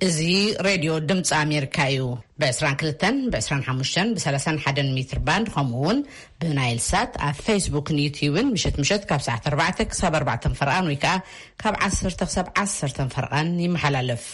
እዚ ሬድዮ ድምፂ ኣሜሪካ እዩ። ብ22፣ ብ25፣ ብ31 ሜትር ባንድ፣ ከምኡ እውን ብናይል ሳት ኣብ ፌስቡክን ዩትዩብን ምሸት ምሸት ካብ ሰዓት ኣርባዕተ ክሳብ ኣርባዕተ ፈርቓን ወይ ከዓ ካብ ዓሰርተ ክሳብ ዓሰርተ ፈርቓን ይመሓላለፍ።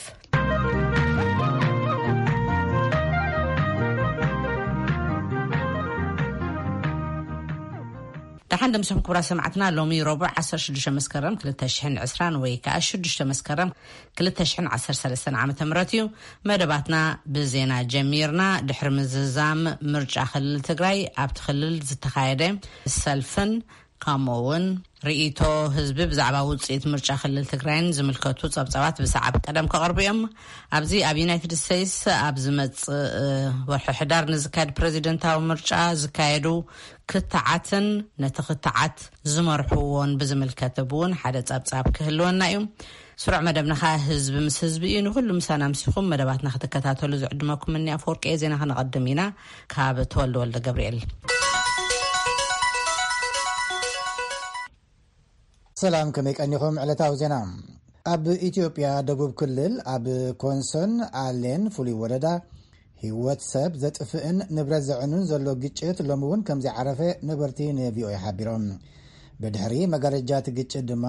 ደሓን ደምስኹም ክቡራት ሰማዕትና። ሎሚ ረቡዕ ዓሰርተ ሽዱሽተ መስከረም ክልተ ሽሕን ዕስራን ወይ ከዓ ሽዱሽተ መስከረም ክልተ ሽሕን ዓሰርተ ሰለስተን ዓመተ ምህረት እዩ። መደባትና ብዜና ጀሚርና። ድሕሪ ምዝዛም ምርጫ ክልል ትግራይ ኣብቲ ክልል ዝተኻየደ ሰልፍን ከምኡ እውን ርእይቶ ህዝቢ ብዛዕባ ውፅኢት ምርጫ ክልል ትግራይን ዝምልከቱ ጸብጻባት ብሰዓብ ቀደም ክቐርቡ እዮም። ኣብዚ ኣብ ዩናይትድ ስቴትስ ኣብ ዝመጽእ ወርሒ ሕዳር ንዝካየድ ፕሬዚደንታዊ ምርጫ ዝካየዱ ክትዓትን ነቲ ክትዓት ዝመርሕዎን ብዝምልከት እውን ሓደ ጸብጻብ ክህልወና እዩ። ስሩዕ መደብና ኸኣ ህዝቢ ምስ ህዝቢ እዩ። ንኹሉ ምሳና ኣምሲኹም መደባትና ክትከታተሉ ዝዕድመኩም እኒ ኣፈወርቂ እየ። ዜና ከነቐድም ኢና። ካብ ተወልደ ወልደ ገብርኤል። ሰላም፣ ከመይ ቀኒኹም? ዕለታዊ ዜና። ኣብ ኢትዮጵያ ደቡብ ክልል ኣብ ኮንሶን ኣሌን ፍሉይ ወረዳ ህይወት ሰብ ዘጥፍእን ንብረት ዘዕኑን ዘሎ ግጭት ሎሚ እውን ከም ዘይዓረፈ ነበርቲ ንቪኦኤ ሓቢሮም። ብድሕሪ መጋረጃ እቲ ግጭት ድማ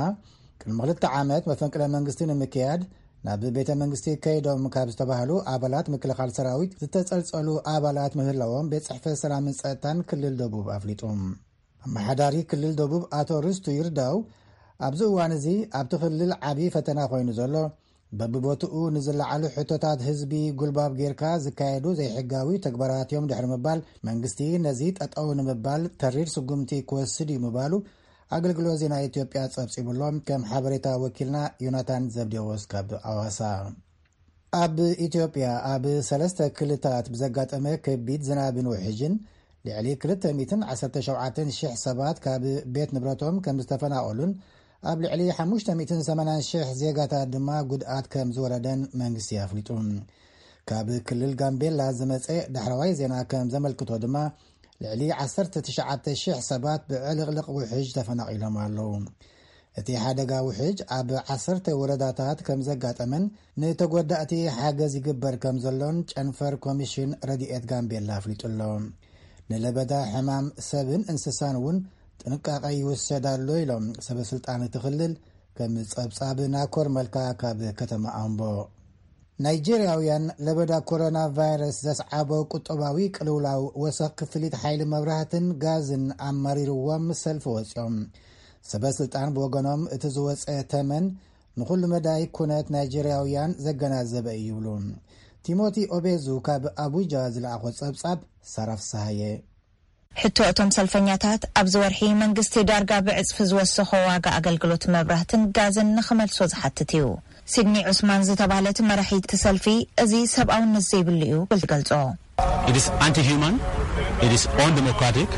ቅድሚ ክልተ ዓመት መፈንቅለ መንግስቲ ንምክያድ ናብ ቤተ መንግስቲ ከይዶም ካብ ዝተባህሉ ኣባላት ምክልኻል ሰራዊት ዝተጸልጸሉ ኣባላት ምህላዎም ቤት ጽሕፈት ሰላምን ጸጥታን ክልል ደቡብ ኣፍሊጡ። ኣመሓዳሪ ክልል ደቡብ ኣቶ ርስቱ ይርዳው፣ ኣብዚ እዋን እዚ ኣብቲ ክልል ዓቢ ፈተና ኮይኑ ዘሎ በብቦትኡ ንዝለዓሉ ሕቶታት ህዝቢ ጉልባብ ጌርካ ዝካየዱ ዘይሕጋዊ ተግባራት እዮም ድሕሪ ምባል፣ መንግስቲ ነዚ ጠጠው ንምባል ተሪር ስጉምቲ ክወስድ እዩ ምባሉ ኣገልግሎት ዜና ኢትዮጵያ ጸብጺቡሎም። ከም ሓበሬታ ወኪልና ዮናታን ዘብዴዎስ ካብ ኣዋሳ። ኣብ ኢትዮጵያ ኣብ ሰለስተ ክልታት ብዘጋጠመ ከቢድ ዝናብን ውሕጅን ልዕሊ ክልተ ሚእትን ዓሰርተ ሸውዓተን ሽሕ ሰባት ካብ ቤት ንብረቶም ከም ዝተፈናቐሉን ኣብ ልዕሊ ሓሙሽተ ሚእትን ሰማንያን ሽሕ ዜጋታት ድማ ጉድኣት ከም ዝወረደን መንግስቲ ኣፍሊጡ። ካብ ክልል ጋምቤላ ዝመጸ ዳሕረዋይ ዜና ከም ዘመልክቶ ድማ ልዕሊ ዓሰርተ ትሽዓተ ሽሕ ሰባት ብዕልቕልቕ ውሕጅ ተፈናቒሎም ኣለዉ። እቲ ሓደጋ ውሕጅ ኣብ ዓሰርተ ወረዳታት ከም ዘጋጠመን ንተጎዳእቲ ሓገዝ ይግበር ከም ዘሎን ጨንፈር ኮሚሽን ረድኤት ጋምቤላ ኣፍሊጡ ኣሎ። ንለበዳ ሕማም ሰብን እንስሳን እውን ጥንቃቐ ይውሰድ ኣሎ ኢሎም ሰበ ስልጣን እቲ ክልል፣ ከም ጸብጻብ ናኮር መልካ ካብ ከተማ ኣምቦ። ናይጄርያውያን ለበዳ ኮሮና ቫይረስ ዘስዓቦ ቁጠባዊ ቅልውላው ወሰኽ ክፍሊት ሓይሊ መብራህትን ጋዝን ኣማሪርዎም ሰልፊ ወጺኦም። ሰበ ስልጣን ብወገኖም እቲ ዝወጸ ተመን ንኹሉ መዳይ ኩነት ናይጄርያውያን ዘገናዘበ እዩ ይብሉ። ቲሞቲ ኦቤዙ ካብ ኣቡጃ ዝለኣኾ ጸብጻብ ሳራ ፍስሃየ። ሕቶ እቶም ሰልፈኛታት ኣብዚ ወርሒ መንግስቲ ዳርጋ ብዕጽፊ ዝወሰኾ ዋጋ ኣገልግሎት መብራህትን ጋዝን ንኽመልሶ ዝሓትት እዩ። ሲድኒ ዑስማን ዝተባህለት መራሒት ሰልፊ እዚ ሰብኣውነት ዘይብሉ እዩ ክብል ትገልጾ። It is anti-human, it is undemocratic,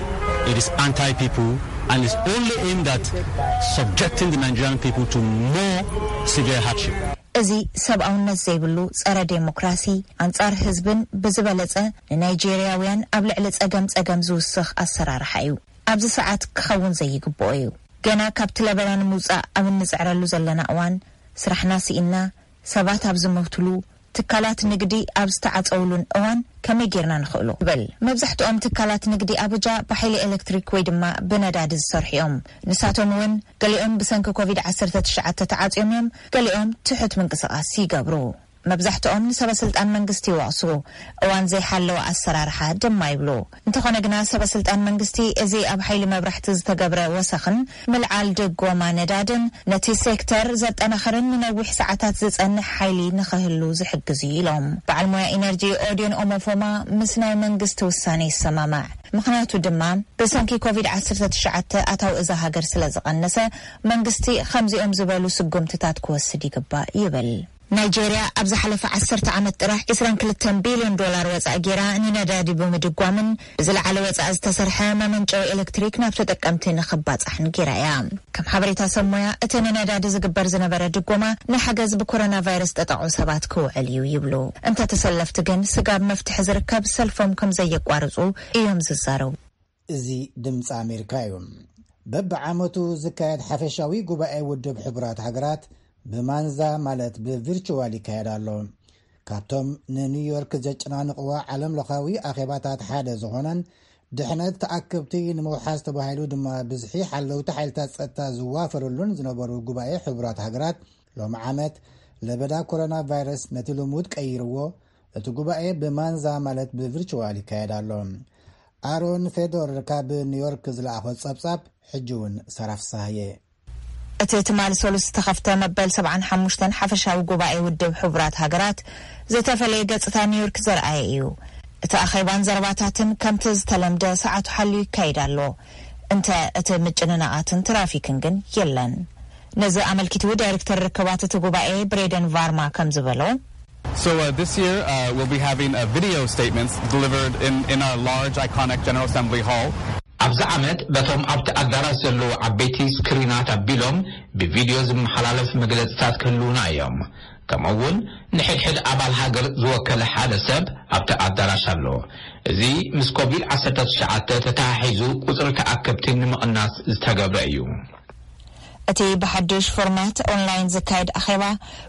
it is anti-people, and it's only aimed at subjecting the Nigerian people to more severe hardship. እዚ ሰብኣውነት ዘይብሉ ጸረ ዴሞክራሲ፣ ኣንጻር ህዝብን ብዝበለጸ ንናይጄርያውያን ኣብ ልዕሊ ጸገም ጸገም ዝውስኽ ኣሰራርሓ እዩ። ኣብዚ ሰዓት ክኸውን ዘይግብኦ እዩ። ገና ካብቲ ለበዳ ንምውጻእ ኣብ እንጽዕረሉ ዘለና እዋን፣ ስራሕና ስኢንና፣ ሰባት ኣብ ዝሞትሉ፣ ትካላት ንግዲ ኣብ ዝተዓጸውሉን እዋን ከመይ ጌርና ንኽእሎ? ይብል። መብዛሕትኦም ትካላት ንግዲ ኣቡጃ ብሓይሊ ኤሌክትሪክ ወይ ድማ ብነዳዲ ዝሰርሑ እዮም። ንሳቶም እውን ገሊኦም ብሰንኪ ኮቪድ ዓሰርተ ትሽዓተ ተዓጽዮም እዮም፣ ገሊኦም ትሑት ምንቅስቓስ ይገብሩ። መብዛሕትኦም ንሰበ ስልጣን መንግስቲ ይወቕሱ፣ እዋን ዘይሓለወ ኣሰራርሓ ድማ ይብሉ። እንተኾነ ግና ሰበ ስልጣን መንግስቲ እዚ ኣብ ሓይሊ መብራሕቲ ዝተገብረ ወሰኽን ምልዓል ድጎማ ነዳድን ነቲ ሴክተር ዘጠናኽርን ንነዊሕ ሰዓታት ዝጸንሕ ሓይሊ ንኽህሉ ዝሕግዝ እዩ ኢሎም። በዓል ሞያ ኢነርጂ ኦዲዮን ኦሞፎማ ምስ ናይ መንግስቲ ውሳነ ይሰማማዕ። ምኽንያቱ ድማ ብሰንኪ ኮቪድ ዓሰርተ ትሽዓተ ኣታዊ እዛ ሃገር ስለ ዝቐነሰ መንግስቲ ከምዚኦም ዝበሉ ስጉምትታት ክወስድ ይግባእ ይብል። ናይጄርያ ኣብ ዝሓለፈ ዓሰርተ ዓመት ጥራሕ ዕስራን ክልተን ቢልዮን ዶላር ወጻኢ ጌራ ንነዳዲ ብምድጓምን ብዝለዓለ ወጻኢ ዝተሰርሐ መመንጨዊ ኤሌክትሪክ ናብ ተጠቀምቲ ንኽባጻሕን ጌራ እያ። ከም ሓበሬታ ሰብ ሞያ፣ እቲ ንነዳዲ ዝግበር ዝነበረ ድጎማ ንሓገዝ ብኮሮና ቫይረስ ጠጠቑ ሰባት ክውዕል እዩ ይብሉ። እንተ ተሰለፍቲ ግን ስጋብ መፍትሒ ዝርከብ ሰልፎም ከም ዘየቋርጹ እዮም ዝዛረቡ። እዚ ድምፂ ኣሜሪካ እዩ። በብዓመቱ ዝካየድ ሓፈሻዊ ጉባኤ ውድብ ሕቡራት ሃገራት ብማንዛ ማለት ብቪርቹዋል ይካየድ ኣሎ። ካብቶም ንኒውዮርክ ዘጨናንቕዋ ዓለም ለኻዊ ኣኼባታት ሓደ ዝኾነን ድሕነት ተኣከብቲ ንምውሓዝ ተባሂሉ ድማ ብዝሒ ሓለውቲ ሓይልታት ጸጥታ ዝዋፈሩሉን ዝነበሩ ጉባኤ ሕቡራት ሃገራት፣ ሎሚ ዓመት ለበዳ ኮሮና ቫይረስ ነቲ ልሙድ ቀይርዎ፣ እቲ ጉባኤ ብማንዛ ማለት ብቪርቹዋል ይካየድ ኣሎ። ኣሮን ፌዶር ካብ ኒውዮርክ ዝለኣኾ ጸብጻብ ሕጂ እውን ሰራፍ ሳህየ። እቲ ትማሊ ሰሉስ ዝተኸፍተ መበል ሰብዓን ሓሙሽተን ሓፈሻዊ ጉባኤ ውድብ ሕቡራት ሃገራት ዝተፈለየ ገጽታ ኒውዮርክ ዘርኣየ እዩ። እቲ ኣኼባን ዘረባታትን ከምቲ ዝተለምደ ሰዓቱ ሓልዩ ይካየድ ኣሎ። እንተ እቲ ምጭንናቓትን ትራፊክን ግን የለን። ነዚ ኣመልኪቱ ዳይሬክተር ርክባት እቲ ጉባኤ ብሬደን ቫርማ ከም ዝበሎ፣ So uh, this year uh, we'll be having uh, video statements delivered in, in our large iconic General Assembly Hall. ኣብዚ ዓመት በቶም ኣብቲ ኣዳራሽ ዘለዉ ዓበይቲ ስክሪናት ኣቢሎም ብቪድዮ ዝመሓላለፍ መግለጽታት ክህልዉና እዮም። ከምኡ እውን ንሕድሕድ ኣባል ሃገር ዝወከለ ሓደ ሰብ ኣብቲ ኣዳራሽ ኣሎ። እዚ ምስ ኮቪድ ዓሰርተ ትሽዓተ ተተሓሒዙ ቁጽሪ ተኣከብቲ ንምቕናስ ዝተገብረ እዩ። እቲ ብሓድሽ ፎርማት ኦንላይን ዝካየድ ኣኼባ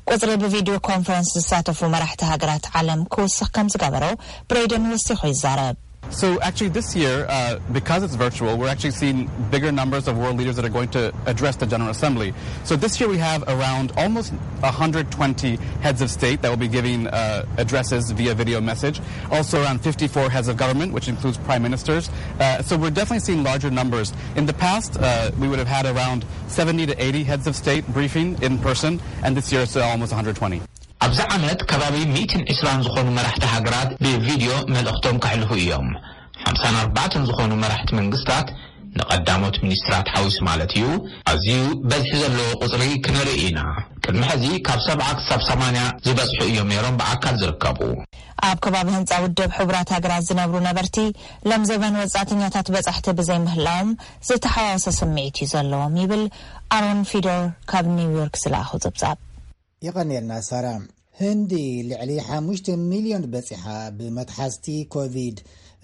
ቁጽሪ ብቪድዮ ኮንፈረንስ ዝሳተፉ መራሕቲ ሃገራት ዓለም ክውስኽ ከም ዝገበሮ ብሬደን ወሲኹ ይዛረብ። So actually this year, uh, because it's virtual, we're actually seeing bigger numbers of world leaders that are going to address the General Assembly. So this year we have around almost one hundred twenty heads of state that will be giving uh, addresses via video message. Also around fifty-four heads of government, which includes prime ministers. Uh, so we're definitely seeing larger numbers. In the past, uh, we would have had around seventy to eighty heads of state briefing in person, and this year it's uh, almost one hundred twenty. ኣብዚ ዓመት ከባቢ ሚእትን ዕስራን ዝኾኑ መራሕቲ ሃገራት ብቪድዮ መልእኽቶም ከሕልፉ እዮም። ሓምሳን ኣርባዕተን ዝኾኑ መራሕቲ መንግስታት፣ ንቐዳሞት ሚኒስትራት ሓዊሱ ማለት እዩ፣ ኣዝዩ በዝሒ ዘለዎ ቁጽሪ ክነርኢ ኢና። ቅድሚ ሕዚ ካብ ሰብዓ ክሳብ ሰማንያ ዝበጽሑ እዮም ነይሮም ብኣካል ዝርከቡ። ኣብ ከባቢ ህንጻ ውድብ ሕቡራት ሃገራት ዝነብሩ ነበርቲ፣ ሎም ዘበን ወጻእተኛታት በጻሕቲ ብዘይምህላዎም ዝተሓዋወሰ ስምዒት እዩ ዘለዎም ይብል ኣሮን ፊደር ካብ ኒውዮርክ ዝለኣኹ ጽብጻብ። የቐንየልና ሳራ። ህንዲ ልዕሊ ሓሙሽተ ሚልዮን በጺሓ ብመትሓዝቲ ኮቪድ።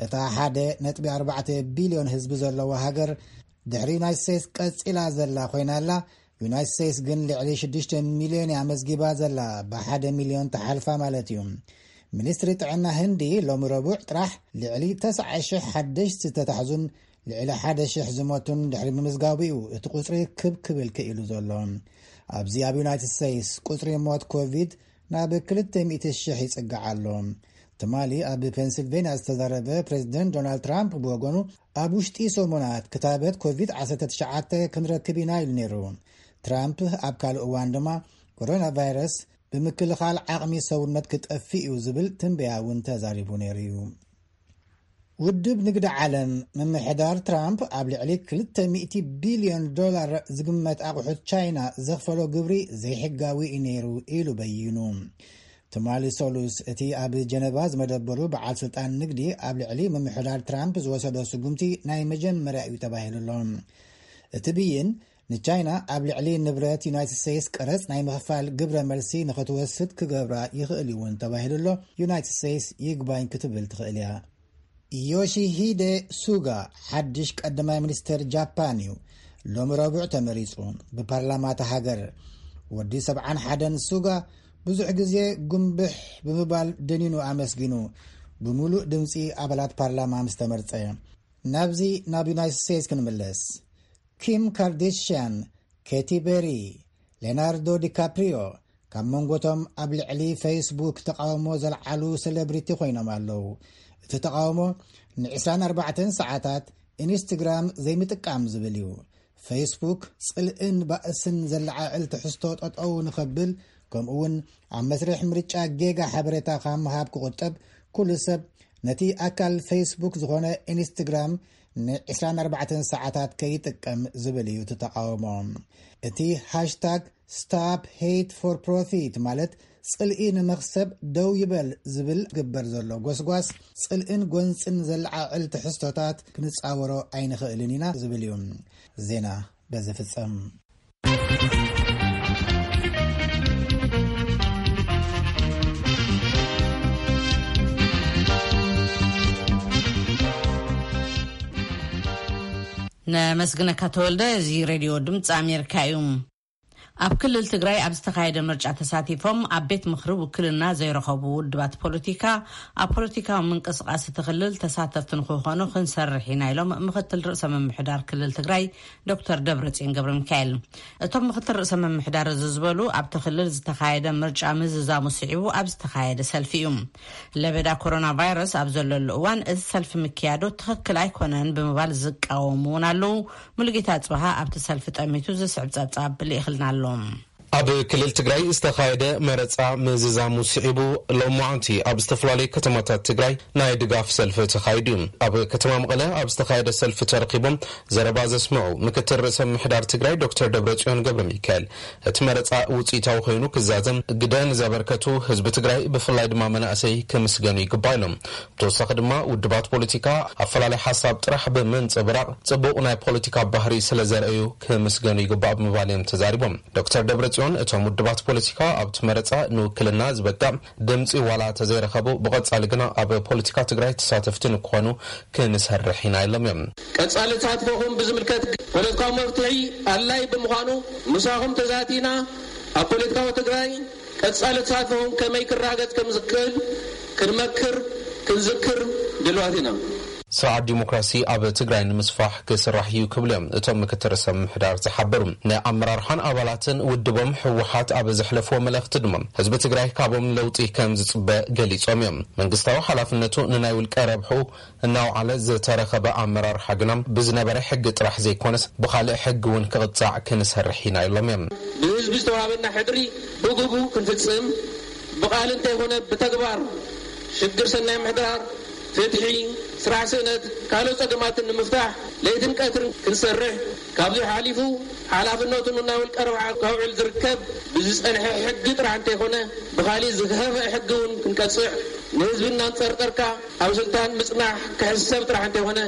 እታ ሓደ ነጥቢ ኣርባዕተ ቢልዮን ህዝቢ ዘለዋ ሃገር ድሕሪ ዩናይትድ ስቴትስ ቀጺላ ዘላ ኮይና ኣላ። ዩናይትድ ስቴትስ ግን ልዕሊ ሽዱሽተ ሚልዮን እያ ኣመዝጊባ ዘላ፣ ብሓደ ሚልዮን ተሓልፋ ማለት እዩ። ሚኒስትሪ ጥዕና ህንዲ ሎሚ ረቡዕ ጥራሕ ልዕሊ ተስዓ ሽሕ ሓደሽቲ ዝተታሕዙን ልዕሊ ሓደ ሽሕ ዝሞቱን ድሕሪ ምምዝጋቡ እዩ እቲ ቁጽሪ ክብ ክብል ክኢሉ ዘሎ። ኣብዚ ኣብ ዩናይትድ ስቴትስ ቁጽሪ ሞት ኮቪድ ናብ ክልተ ሚእቲ ሽሕ ይጽጋዕ ኣሎ። ትማሊ ኣብ ፔንሲልቬንያ ዝተዛረበ ፕሬዚደንት ዶናልድ ትራምፕ ብወገኑ፣ ኣብ ውሽጢ ሰሙናት ክታበት ኮቪድ ዓሰርተ ትሽዓተ ክንረክብ ኢና ኢሉ ነይሩ። ትራምፕ ኣብ ካልእ እዋን ድማ፣ ኮሮና ቫይረስ ብምክልኻል ዓቕሚ ሰውነት ክጠፍእ እዩ ዝብል ትንበያ እውን ተዛሪቡ ነይሩ እዩ። ውድብ ንግዲ ዓለም፣ ምምሕዳር ትራምፕ ኣብ ልዕሊ ክልተ ሚእቲ ቢልዮን ዶላር ዝግመት ኣቑሑት ቻይና ዘኽፈሎ ግብሪ ዘይሕጋዊ እዩ ነይሩ ኢሉ በይኑ። ትማሊ ሰሉስ እቲ ኣብ ጀነቫ ዝመደበሩ በዓል ስልጣን ንግዲ ኣብ ልዕሊ ምምሕዳር ትራምፕ ዝወሰዶ ስጉምቲ ናይ መጀመርያ እዩ ተባሂሉ ኣሎ። እቲ ብይን ንቻይና ኣብ ልዕሊ ንብረት ዩናይትድ ስቴትስ ቀረጽ ናይ ምኽፋል ግብረ መልሲ ንኽትወስድ ክገብራ ይኽእል እዩ እውን ተባሂሉ ኣሎ። ዩናይትድ ስቴትስ ይግባኝ ክትብል ትኽእል እያ። ዮሺሂደ ሱጋ ሓድሽ ቀዳማይ ሚኒስተር ጃፓን እዩ። ሎሚ ረቡዕ ተመሪጹ ብፓርላማ እታ ሃገር። ወዲ ሰብዓን ሓደን ሱጋ ብዙሕ ግዜ ጉንብሕ ብምባል ደኒኑ ኣመስጊኑ፣ ብምሉእ ድምጺ ኣባላት ፓርላማ ምስ ተመርጸ። ናብዚ ናብ ዩናይትድ ስቴትስ ክንምለስ። ኪም ካርዴሽያን፣ ኬቲ ቤሪ፣ ሌናርዶ ዲካፕሪዮ ካብ መንጎቶም ኣብ ልዕሊ ፌስቡክ ተቃውሞ ዘልዓሉ ሴሌብሪቲ ኮይኖም ኣለዉ። እቲ ተቃውሞ ን ዕስራን ኣርባዕተን ሰዓታት ኢንስትግራም ዘይምጥቃም ዝብል እዩ። ፌስቡክ ጽልእን ባእስን ዘለዓዕል ትሕዝቶ ጠጠው ንኸብል፣ ከምኡ እውን ኣብ መስርሕ ምርጫ ጌጋ ሓበሬታ ካብ ምሃብ ክቑጠብ፣ ኩሉ ሰብ ነቲ ኣካል ፌስቡክ ዝኾነ ኢንስትግራም ን ዕስራን ኣርባዕተን ሰዓታት ከይጥቀም ዝብል እዩ እቲ ተቃውሞ። እቲ ሃሽታግ ስታፕ ሄት ፎር ፕሮፊት፣ ማለት ጽልኢ ንመኽሰብ ደው ይበል ዝብል ግበር ዘሎ ጎስጓስ፣ ጽልእን ጎንጽን ዘለዓዕል ትሕዝቶታት ክንጻወሮ ኣይንኽእልን ኢና ዝብል እዩ። ዜና በዚ ፍጸም። ነመስግነካ ተወልደ። እዚ ሬድዮ ድምፂ ኣሜሪካ እዩ። ኣብ ክልል ትግራይ ኣብ ዝተኻየደ ምርጫ ተሳቲፎም ኣብ ቤት ምኽሪ ውክልና ዘይረኸቡ ውድባት ፖለቲካ ኣብ ፖለቲካዊ ምንቅስቃስ እቲ ክልል ተሳተፍቲ ንክኾኑ ክንሰርሕ ኢና ኢሎም ምክትል ርእሰ ምምሕዳር ክልል ትግራይ ዶክተር ደብረጽዮን ገብረ ሚካኤል። እቶም ምክትል ርእሰ ምምሕዳር እዚ ዝበሉ ኣብቲ ክልል ዝተኻየደ ምርጫ ምዝዛሙ ስዒቡ ኣብ ዝተኻየደ ሰልፊ እዩ። ለበዳ ኮሮና ቫይረስ ኣብ ዘለሉ እዋን እዚ ሰልፊ ምክያዱ ትኽክል ኣይኮነን ብምባል ዝቃወሙ እውን ኣለዉ። ሙሉጌታ ጽባሃ ኣብቲ ሰልፊ ጠሚቱ ዝስዕብ ጸብጻብ ልኢኽልና ኣሎ። ኣብ ክልል ትግራይ ዝተኻየደ መረጻ ምዝዛሙ ስዒቡ ሎማዓንቲ ኣብ ዝተፈላለዩ ከተማታት ትግራይ ናይ ድጋፍ ሰልፊ ተኻይዱ እዩ። ኣብ ከተማ መቐለ ኣብ ዝተኻየደ ሰልፊ ተረኺቦም ዘረባ ዘስምዑ ምክትል ርእሰ ምምሕዳር ትግራይ ዶክተር ደብረጽዮን ገብረ ሚካኤል፣ እቲ መረጻ ውጽኢታዊ ኮይኑ ክዛዘም ግደ ንዘበርከቱ ህዝቢ ትግራይ ብፍላይ ድማ መናእሰይ ክምስገኑ ይግባእ ኢሎም። ብተወሳኺ ድማ ውድባት ፖለቲካ ኣፈላለይ ሓሳብ ጥራሕ ብምንጽብራቕ ጽቡቕ ናይ ፖለቲካ ባህሪ ስለ ዘርእዩ ክምስገኑ ይግባእ ብምባል እዮም ተዛሪቦም። ዶክተር ደብረጽዮን እቶም ውድባት ፖለቲካ ኣብቲ መረጻ ንውክልና ዝበቅዕ ድምጺ ዋላ ተዘይረኸቡ ብቐጻሊ ግና ኣብ ፖለቲካ ትግራይ ተሳተፍቲ ንክኾኑ ክንሰርሕ ኢና ኢሎም እዮም። ቀጻሊ ተሳትፎኹም ብዝምልከት ፖለቲካዊ መፍትሒ ኣድላይ ብምዃኑ ምሳኹም ተዛቲና ኣብ ፖለቲካዊ ትግራይ ቀጻሊ ተሳትፎኹም ከመይ ክረጋገጽ ከም ዝኽእል ክንመክር ክንዝክር ድልዋት ኢና። ስርዓት ዲሞክራሲ ኣብ ትግራይ ንምስፋሕ ክስራሕ እዩ ክብሉ እዮም እቶም ምክትል ርእሰ ምምሕዳር ዝሓበሩ። ናይ ኣመራርሓን ኣባላትን ውድቦም ህወሓት ኣብ ዘሕለፍዎ መልእኽቲ ድማ ህዝቢ ትግራይ ካቦም ለውጢ ከም ዝጽበ ገሊጾም እዮም። መንግስታዊ ሓላፍነቱ ንናይ ውልቀ ረብሑ እናውዓለ ዝተረኸበ ኣመራርሓ ግና ብዝነበረ ሕጊ ጥራሕ ዘይኮነስ ብኻልእ ሕጊ እውን ክቕጻዕ ክንሰርሕ ኢና ኢሎም እዮም። ብህዝቢ ዝተዋሃበና ሕድሪ ብግቡ ክንፍጽም ብቓል እንተይኮነ ብተግባር ሽግር ሰናይ ምሕዳር፣ ፍትሒ፣ ስራሕ ስእነት፣ ካልኦት ጸገማትን ንምፍታሕ ለይትን ቀትርን ክንሰርሕ ካብዚ ሓሊፉ ሓላፍነቱ ንናይ ውልቀ ረብሓ ከውዕል ዝርከብ ብዝጸንሐ ሕጊ ጥራሕ እንተይኮነ ብኻሊእ ዝኸፍአ ሕጊ እውን ክንቀጽዕ ንህዝቢ እናንጸርጠርካ ኣብ ስልጣን ምጽናሕ ክሕሰብ ጥራሕ እንተይኮነ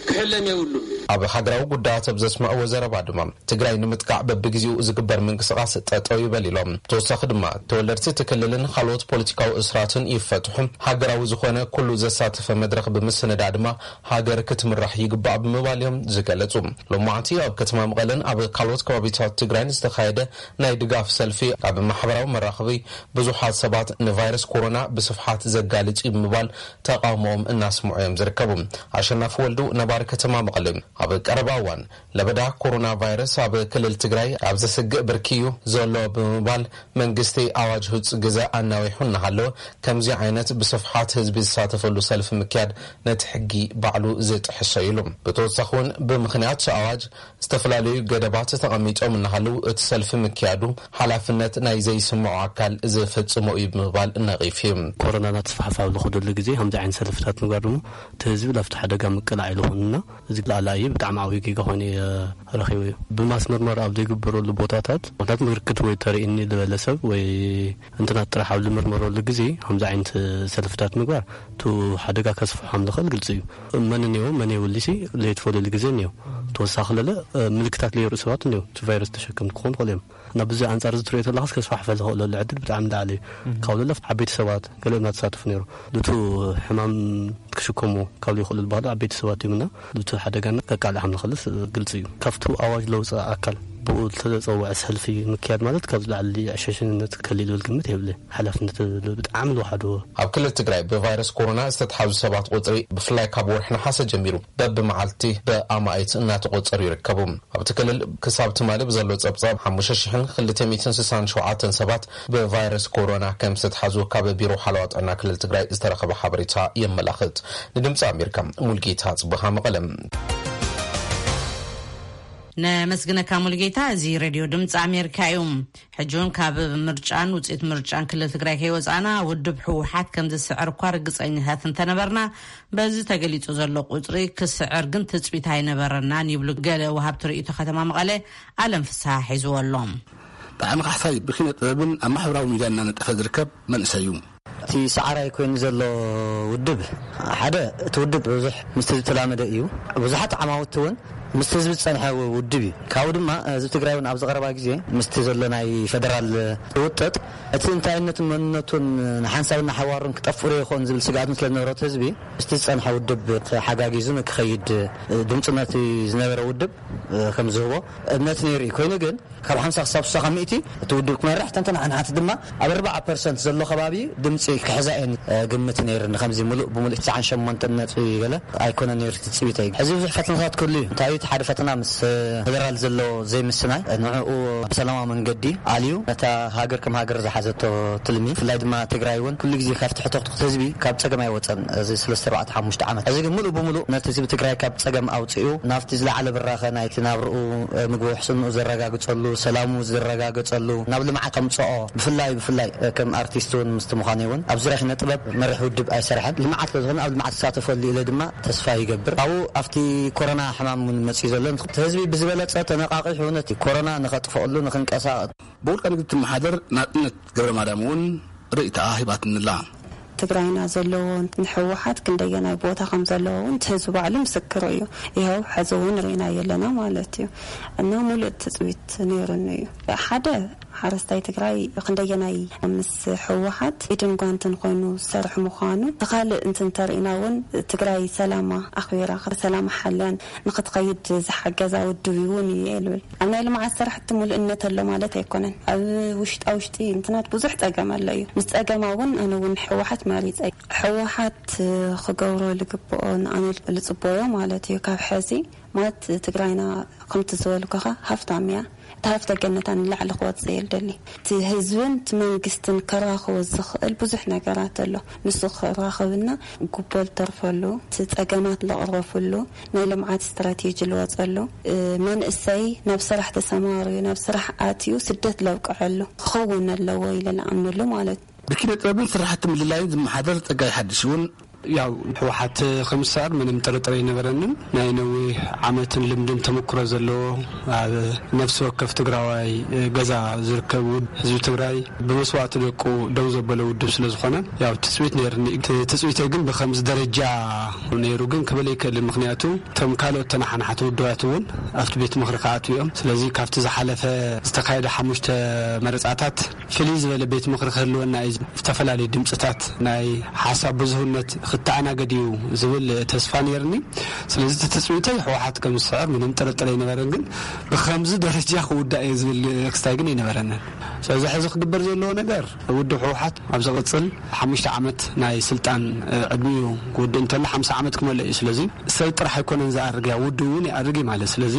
ክሕለም የብሉን። ኣብ ሃገራዊ ጉዳያት ኣብ ዘስምዕዎ ዘረባ ድማ ትግራይ ንምጥቃዕ በብግዜኡ ዝግበር ምንቅስቃስ ጠጠው ይበል ኢሎም። ተወሳኺ ድማ ተወለድቲ እቲ ክልልን ካልኦት ፖለቲካዊ እስራትን ይፈትሑ፣ ሃገራዊ ዝኾነ ኩሉ ዘሳተፈ መድረኽ ብምስንዳ ድማ ሃገር ክትምራሕ ይግባእ ብምባል እዮም ዝገለጹ። ሎማዕንቲ ኣብ ከተማ መቐለን ኣብ ካልኦት ከባቢታት ትግራይን ዝተኻየደ ናይ ድጋፍ ሰልፊ ኣብ ማሕበራዊ መራኸቢ ብዙሓት ሰባት ንቫይረስ ኮሮና ብስፍሓት ዘጋልጽ እዩ ብምባል ተቃውሞኦም እናስምዑ እዮም ዝርከቡ። ኣሸናፊ ወልዱ ነባሪ ከተማ መቐለ ኣብ ቀረባ እዋን ለበዳ ኮሮና ቫይረስ ኣብ ክልል ትግራይ ኣብ ዘስግእ ብርኪ እዩ ዘሎ ብምባል መንግስቲ ኣዋጅ ህጹ ግዘ ኣናዊሑ እናሃለወ ከምዚ ዓይነት ብስፍሓት ህዝቢ ዝሳተፈሉ ሰልፊ ምክያድ ነቲ ሕጊ ባዕሉ ዝጥሕሶ ኢሉ። ብተወሳኺ እውን ብምኽንያት ኣዋጅ ዝተፈላለዩ ገደባት ተቐሚጦም እናሃለዉ እቲ ሰልፊ ምክያዱ ሓላፍነት ናይ ዘይስምዖ ኣካል ዝፍጽሞ እዩ ብምባል ነቒፉ እዩ። ኮሮና እናተስፋሕፋ ኣብ ዝኸደሉ ግዜ ከምዚ ዓይነት ሰልፍታት ምግባር ድማ እቲ ህዝቢ ላብቲ ሓደጋ ምቅላዕ ኢሉ ይኾንና። እዚ ላዕላ እዩ ብጣዕሚ ዓብዪ ጌጋ ኮይኑ እየ ረኺቡ እዩ። ብማስ ምርመራ ኣብ ዘይግበረሉ ቦታታት ምክንያት ምልክት ወይ ተርእኒ ዝበለ ሰብ ወይ እንትናት ጥራሕ ኣብ ዝምርመረሉ ግዜ ከምዚ ዓይነት ሰልፍታት ምግባር እቲ ሓደጋ ከስፍሖም ዝኽእል ግልፂ እዩ። መን እኒኦ መን የብሉሲ ዘይትፈልየሉ ግዜ እኒኦ። ተወሳኺ ለለ ምልክታት ለየርእዩ ሰባት እኒኦ እቲ ቫይረስ ተሸከምቲ ክኾኑ ይኽእሉ እዮም። እና ብዚ ኣንጻር እዚ ትሪኦ ተለኻስ ከስፋሕፈ ዝኽእለሉ ዕድል ብጣዕሚ ላዕሊ እዩ። ካብ ለለ ዓበይቲ ሰባት ገለ እናተሳተፉ ነይሩ። ልቱ ሕማም ክሽከሙ ካብ ዘይኽእሉ ዝበሃሉ ዓበይቲ ሰባት እዮም እና ልቱ ሓደጋና ከቃልዕ ከም ዝኽእልስ ግልፂ እዩ። ካብቲ ኣዋጅ ለውፅእ ኣካል ብኡ ዝተፀውዐ ሰልፊ ምክያድ ማለት ካብዚ ላዕሊ ዕሸሽነት ከሊል ዝብል ግምት የብለይ። ሓላፍነት ብጣዕሚ ዝወሓዶ። ኣብ ክልል ትግራይ ብቫይረስ ኮሮና ዝተትሓዙ ሰባት ቁፅሪ ብፍላይ ካብ ወርሒ ነሓሰ ጀሚሩ በብመዓልቲ ብኣማኢት እናተቆፀሩ ይርከቡ። ኣብቲ ክልል ክሳብ ትማሊ ብዘሎ ጸብጻብ ሓሙሽተ ሽሕን ክልተ ሚእትን ስሳን ሸውዓተን ሰባት ብቫይረስ ኮሮና ከም ዝተትሓዙ ካብ ቢሮ ሓለዋ ጥዕና ክልል ትግራይ ዝተረኸበ ሓበሬታ የመላኽት። ንድምፂ ኣሜሪካ ሙልጌታ ጽቡሃ መቐለም። ነመስግነካ ሙልጌታ። እዚ ሬድዮ ድምፂ ኣሜሪካ እዩ። ሕጂ እውን ካብ ምርጫን ውፅኢት ምርጫን ክልል ትግራይ ከይወፃእና ውድብ ህወሓት ከም ዝስዕር እኳ ርግፀኛታት እንተነበርና በዚ ተገሊፁ ዘሎ ቁፅሪ ክስዕር ግን ትፅቢት ኣይነበረናን ይብሉ ገለ ወሃብቲ ርእይቶ ከተማ መቐለ ኣለም ፍስሃ ሒዝዎ ኣሎ። ብዓሚ ካሕሳይ ብኪነ ጥበብን ኣብ ማሕበራዊ ሚድያ እናነጠፈ ዝርከብ መንእሰይ እዩ። እቲ ሰዓራይ ኮይኑ ዘሎ ውድብ ሓደ እቲ ውድብ ብዙሕ ምስቲ ዝተላመደ እዩ። ብዙሓት ዓማውቲ እውን ምስቲ ህዝቢ ዝጸንሐ ውድብ እዩ። ካብኡ ድማ ህዝቢ ትግራይ እውን ኣብዚ ቀረባ ግዜ ምስቲ ዘሎ ናይ ፌደራል ውጥጥ እቲ እንታይነቱን መንነቱን ንሓንሳብና ሓዋሩን ክጠፍእ ይኸውን ዝብል ስግኣት ስለ ዝነበሮ እቲ ህዝቢ ምስቲ ዝጸንሐ ውድብ ተሓጋጊዙ ንክኸይድ ድምፅነቲ ዝነበረ ውድብ ከም ዝህቦ እምነት ነይሩ እዩ። ኮይኑ ግን ካብ ሓምሳ ክሳብ ስሳ ካብ ሚእቲ እቲ ውድብ ክመርሕ፣ ተንተን ሓንሓት ድማ ኣብ ኣርባዓ ፐርሰንት ዘሎ ከባቢ ድምፂ ክሕዛ እየን ግምት ነይርኒ። ከምዚ ሙሉእ ብሙሉእ ትስዓን ሸሞንተን ነጥቢ ገለ ኣይኮነን ነይሩ ትፅቢተይ። ሕዚ ብዙሕ ፈተናታት ክህሉ እዩ። እንታይ እዩ እቲ ሓደ ፈተና? ምስ ፌደራል ዘሎ ዘይምስናይ፣ ንዕኡ ብሰላማዊ መንገዲ ኣልዩ ነታ ሃገር ከም ሃገር ዝሓዘቶ ትልሚ፣ ብፍላይ ድማ ትግራይ እውን ኩሉ ግዜ ካብቲ ሕቶ ህዝቢ ካብ ፀገም ኣይወፀን። እዚ ሰለስተ ኣርባዕተ ሓሙሽተ ዓመት፣ እዚ ግን ሙሉእ ብሙሉእ ነቲ ህዝቢ ትግራይ ካብ ፀገም ኣውፂኡ ናብቲ ዝለዓለ ብራኸ ናይቲ ናብርኡ፣ ምግቢ ውሕስንኡ ዘረጋግፀሉ፣ ሰላሙ ዝረጋገፀሉ፣ ናብ ልምዓት ከምፅኦ፣ ብፍላይ ብፍላይ ከም ኣርቲስት እውን ምስቲ ምዃኑ እውን ኣብ ዙርያ ኪነ ጥበብ መሪሕ ውድብ ኣይሰርሐን። ልምዓት ስለ ዝኾነ ኣብ ልምዓት ክሳተፈሉ ኢለ ድማ ተስፋ ይገብር። ካብኡ ኣብቲ ኮሮና ሕማም እውን መፅኡ ዘሎ፣ እቲ ህዝቢ ብዝበለፀ ተነቃቂሑ ነቲ ኮሮና ንኸጥፈኣሉ ንኽንቀሳቐስ ብውልቀ ንግዲ ትመሓደር ናጽነት ገብረ ማርያም እውን ርእይታኣ ሂባትንላ። ትግራይና ዘለዎ ንሕወሓት ክንደየናይ ቦታ ከም ዘለዎ እውን እቲ ህዝቢ ባዕሉ ምስክሩ እዩ። ይኸው ሕዚ እውን ርኢና የለና ማለት እዩ። እና ሙሉእ ትፅቢት ነይሩኒ እዩ። ሓደ ሓረስታይ ትግራይ ክንደየናይ ምስ ሕወሓት ኢድን ጓንትን ኮይኑ ዝሰርሕ ምዃኑ፣ እቲ ካልእ እንትን ተርኢና እውን ትግራይ ሰላማ ኣኽቢራ ሰላማ ሓልያን ንክትኸይድ ዝሓገዛ ውድብ እውን እዩ እየ ልብል። ኣብ ናይ ልምዓት ስራሕቲ ሙሉእነት ኣሎ ማለት ኣይኮነን። ኣብ ውሽጣ ውሽጢ እንትናት ብዙሕ ፀገም ኣሎ እዩ። ምስ ፀገማ እውን ኣነ እውን ሕወሓት መሪፀ። ሕወሓት ክገብሮ ልግብኦ ንኣነ ልፅበዮ ማለት እዩ። ካብ ሕዚ ማለት ትግራይና ከምቲ ዝበልኩኻ ሃፍታም እያ። እቲ ሃፍተ ገነታ ንላዕሊ ክወፅእ እየ ልደሊ። እቲ ህዝብን እቲ መንግስትን ከራኽቦ ዝኽእል ብዙሕ ነገራት ኣሎ። ንሱ ክራኸብና ጉቦ ልተርፈሉ፣ እቲ ፀገማት ልቕረፍሉ፣ ናይ ልምዓት ስትራቴጂ ልወፀሉ፣ መንእሰይ ናብ ስራሕ ተሰማርዩ ናብ ስራሕ ኣትዩ ስደት ለብቅዐሉ ክኸውን ኣለዎ ኢለ ልኣምነሉ ማለት እዩ። ብኪነ ጥበብን ስራሕቲ ምልላይን ዝመሓደር ፀጋይ ሓድሽ እውን ያው ህወሓት ከምሳር ምንም ጥርጥር ኣይነበረንን። ናይ ነዊሕ ዓመትን ልምድን ተመክሮ ዘለዎ ኣብ ነፍሲ ወከፍ ትግራዋይ ገዛ ዝርከብ ህዝቢ ትግራይ ብመስዋእቲ ደቁ ደው ዘበለ ውድብ ስለ ዝኾነ ያው ትፅቢት ነይርኒ። ትፅቢተይ ግን ብከምዚ ደረጃ ነይሩ ግን ክብል ኣይክእልን። ምክንያቱ እቶም ካልኦት ተናሓናሕቲ ውድባት እውን ኣብቲ ቤት ምክሪ ክኣትዉ እዮም። ስለዚ ካብቲ ዝሓለፈ ዝተካየደ ሓሙሽተ መረፃታት ፍልይ ዝበለ ቤት ምክሪ ክህልወና እዩ። ዝተፈላለዩ ድምፅታት ናይ ሓሳብ ብዙህነት ክተኣናገድ እዩ ዝብል ተስፋ ነይርኒ። ስለዚ እቲ ትፅቢተይ ህወሓት ከም ዝስዕር ምንም ጥርጥር ኣይነበረን። ግን ብከምዚ ደረጃ ክውዳእ እየ ዝብል ክስታይ ግን ኣይነበረንን። ስለዚ ሕዚ ክግበር ዘለዎ ነገር ውድብ ህወሓት ኣብ ዝቕፅል ሓሙሽተ ዓመት ናይ ስልጣን ዕድሚኡ ክውድእ እንተሎ ሓምሳ ዓመት ክመልእ እዩ። ስለዚ ሰብ ጥራሕ ኣይኮነን ዝኣርግ እያ ውድብ እውን ይኣርግ እዩ ማለት። ስለዚ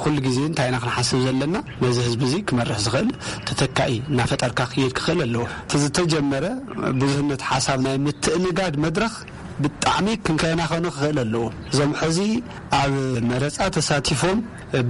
ኩሉ ግዜ እንታይ ኢና ክንሓስብ ዘለና? ነዚ ህዝቢ እዚ ክመርሕ ዝኽእል ተተካኢ እናፈጠርካ ክየድ ክኽእል ኣለዎ። እቲ ዝተጀመረ ብዙህነት ሓሳብ ናይ ምትእንጋድ መድረኽ ብጣዕሚ ክንከናኸኖ ክኽእል ኣለዎ። እዞም ሕዚ ኣብ መረፃ ተሳቲፎም